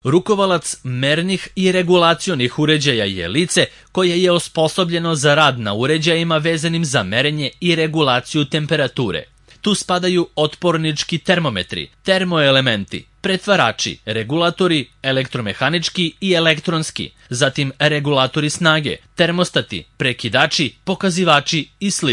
Rukovalac mernih i regulacionih uređaja je lice koje je osposobljeno za rad na uređajima vezanim za merenje i regulaciju temperature. Tu spadaju otpornički termometri, termoelementi, pretvarači, regulatori, elektromehanički i elektronski, zatim regulatori snage, termostati, prekidači, pokazivači i sl.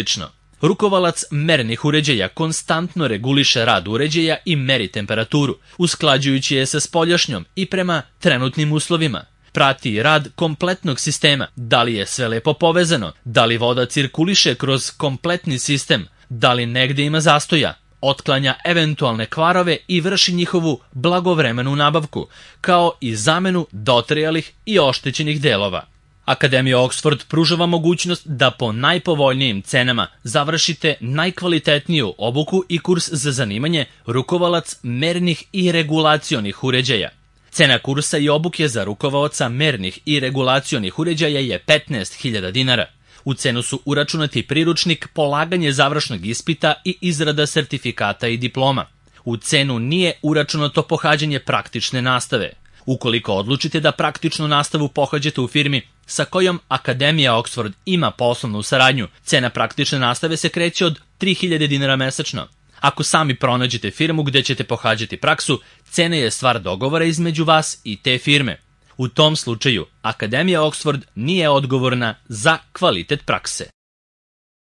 Rukovalac mernih uređaja konstantno reguliše rad uređaja i meri temperaturu, usklađujući je sa spoljašnjom i prema trenutnim uslovima. Prati rad kompletnog sistema, da li je sve lepo povezano, da li voda cirkuliše kroz kompletni sistem, da li negde ima zastoja, otklanja eventualne kvarove i vrši njihovu blagovremenu nabavku, kao i zamenu dotrajalih i oštećenih delova. Akademija Oxford pruža vam mogućnost da po najpovoljnijim cenama završite najkvalitetniju obuku i kurs za zanimanje rukovalac mernih i regulacionih uređaja. Cena kursa i obuke za rukovaoca mernih i regulacionih uređaja je 15.000 dinara. U cenu su uračunati priručnik, polaganje završnog ispita i izrada sertifikata i diploma. U cenu nije uračunato pohađanje praktične nastave. Ukoliko odlučite da praktičnu nastavu pohađate u firmi sa kojom Akademija Oxford ima poslovnu saradnju, cena praktične nastave se kreće od 3.000 dinara mesečno. Ako sami pronađete firmu gde ćete pohađati praksu, cena je stvar dogovora između vas i te firme. U tom slučaju, Akademija Oxford nije odgovorna za kvalitet prakse.